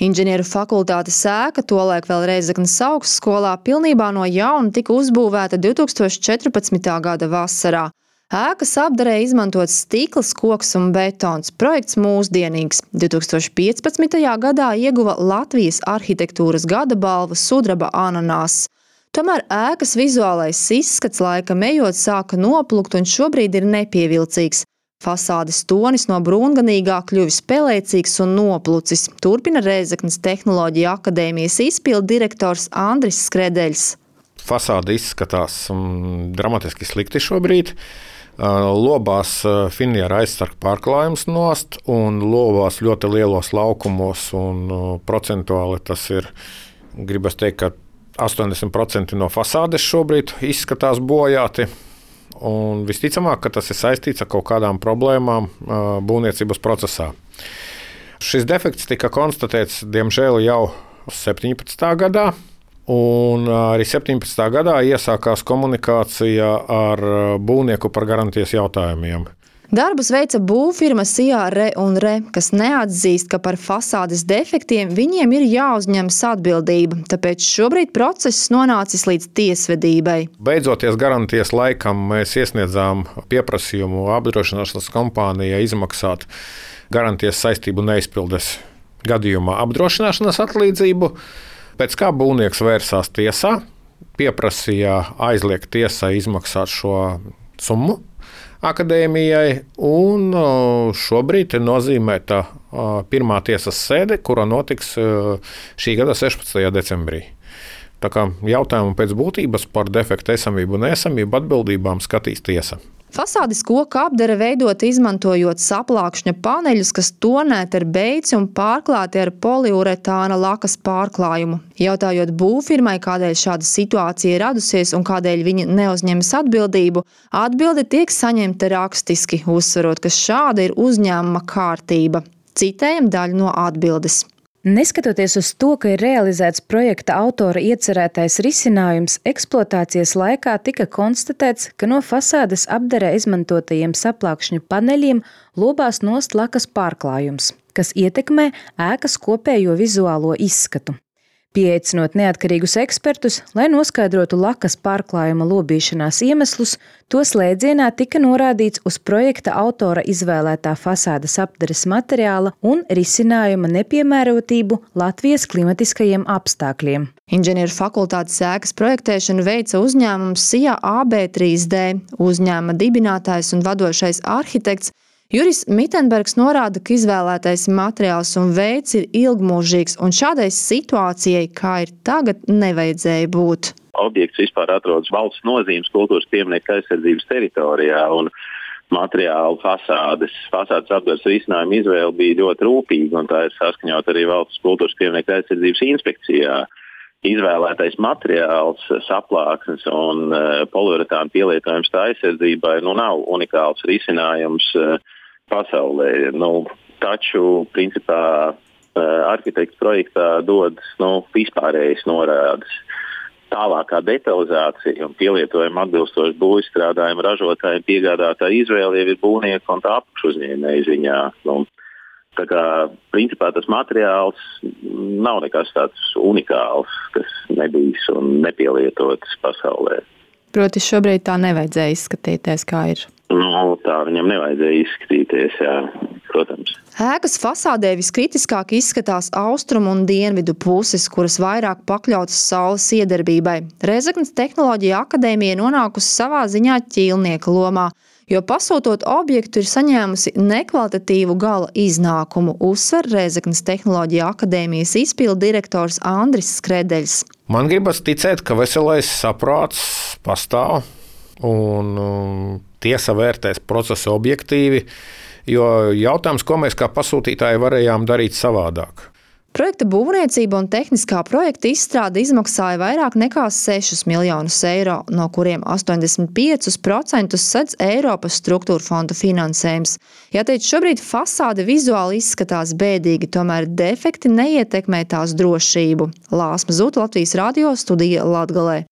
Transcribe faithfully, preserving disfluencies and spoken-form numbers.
Inženieru fakultātes ēka, tolaik vēl Rēzeknes augstskolā, pilnībā no jauna tika uzbūvēta divs tūkstoši četrpadsmitā gada vasarā. Ēkas apdarē izmantots stikls, koks un betons. Projekts mūsdienīgs. divs tūkstoši piecpadsmitajā gadā ieguva Latvijas arhitektūras gada balvu sudraba ananās. Tomēr ēkas vizuālais izskats laikam ejot sāka noplukt un šobrīd ir nepievilcīgs. Fasādes tonis no brūnganīgā kļuvis pelēcīgs un noplucis, turpina Rēzeknes Tehnoloģiju akadēmijas izpildu direktors Andris Skredeļs. Fasāde izskatās um, dramatiski slikti šobrīd. Uh, lobās uh, finiera aizsarg pārklājums nost un lobās ļoti lielos laukumos un uh, procentuāli tas ir, gribas teikt, ka astoņdesmit procenti no fasādes šobrīd izskatās bojāti. Un visticamāk, ka tas ir saistīts ar kaut kādām problēmām būvniecības procesā. Šis defekts tika konstatēts, diemžēl, jau septiņpadsmitā gadā, un arī septiņpadsmitā gadā iesākās komunikācija ar būvnieku par garantijas jautājumiem. Darbus veica būvfirma Sijā Re un Re, kas neatzīst, ka par fasādes defektiem viņiem ir jāuzņemas atbildība, tāpēc šobrīd process nonācis līdz tiesvedībai. Beidzoties garantijas laikam, mēs iesniedzām pieprasījumu apdrošināšanas kompānijai izmaksāt garantijas saistību neizpildes gadījumā apdrošināšanas atlīdzību, pēc kā būvnieks vērsās tiesā, pieprasīja aizliegt tiesai izmaksāt šo summu akadēmijai, un šobrīd ir nozīmēta pirmā tiesas sēde, kura notiks šī gada sešpadsmitajā decembrī. Tā kā jautājumu pēc būtības par defektu esamību un neesamību atbildībām skatīs tiesa. Fasādes koka apdare veidota izmantojot saplākšņa paneļus, kas tonēti ar beici un pārklāti ar poliuretāna lakas pārklājumu. Jautājot būvfirmai, kādēļ šāda situācija ir radusies un kādēļ viņi neuzņemas atbildību, atbilde tiek saņemta rakstiski, uzsverot, ka šāda ir uzņēmuma kārtība. Citējam daļu no atbildes. Neskatoties uz to, ka ir realizēts projekta autora iecerētais risinājums, eksploatācijas laikā tika konstatēts, ka no fasādes apdarē izmantotajiem saplākšņu paneļiem lobās nost lakas pārklājums, kas ietekmē ēkas kopējo vizuālo izskatu. Pieaicinot neatkarīgus ekspertus, lai noskaidrotu lakas pārklājuma lobīšanās iemeslus, to slēdzienā tika norādīts uz projekta autora izvēlētā fasādes apdares materiāla un risinājuma nepiemērotību Latvijas klimatiskajiem apstākļiem. Inženieru fakultātes ēkas projektēšanu veica uzņēmums Sijā A B trīs D, uzņēmuma dibinātājs un vadošais arhitekts Juris Mitenbergs norāda, ka izvēlētais materiāls un veids ir ilgmūžīgs, un šādai situācijai, kā ir tagad, nevajadzēja būt. Objekts vispār atrodas valsts nozīmes kultūras pieminiektu aizsardzības teritorijā, un materiālu fasādes, fasādes apdares risinājuma izvēle bija ļoti rūpīga, un tā ir saskaņot arī valsts kultūras pieminiektu aizsardzības inspekcijā. Izvēlētais materiāls, saplāksnes un uh, poliuretāna pielietojums tā aizsardzībai nu, nav unikāls risinājums uh, pasaulē. Nu, taču, principā, uh, arhitekts projektā dod nu, vispārējas norādes. Tālākā detalizācija un pielietojuma atbilstoši būvizstrādājumu ražotājiem piegādātāja izvēle jau ir būvnieka un tā apakšuzņēmēja ziņā. Nu, Tā kā, principā, tas materiāls nav nekas tāds unikāls, kas nebijis un nepielietots pasaulē. Proti šobrīd tā nevajadzēja izskatīties, kā ir. Nu, tā viņam nevajadzēja izskatīties, jā, protams. Ēkas fasādē viskritiskāk izskatās austrumu un dienvidu puses, kuras vairāk pakļautas saules iedarbībai. Rēzeknes Tehnoloģiju akadēmija nonākusi savā ziņā ķīlnieka lomā, jo pasūtot objektu ir saņēmusi nekvalitatīvu gala iznākumu, uzsver Rēzeknes Tehnoloģiju akadēmijas izpildu direktors Andris Skredeļs. Man gribas ticēt, ka veselais saprāts pastāv un um, tiesa vērtēs procesu objektīvi, jo jautājums, ko mēs kā pasūtītāji varējām darīt savādāk. Projekta būvniecība un tehniskā projekta izstrāde izmaksāja vairāk nekā sešus miljonus eiro, no kuriem astoņdesmit piecus procentus sedz Eiropas struktūra fonda finansējums. Jāteic, šobrīd fasāde vizuāli izskatās bēdīgi, tomēr defekti neietekmē tās drošību. Lāsma Zūta, Latvijas radio, studija Latgalē.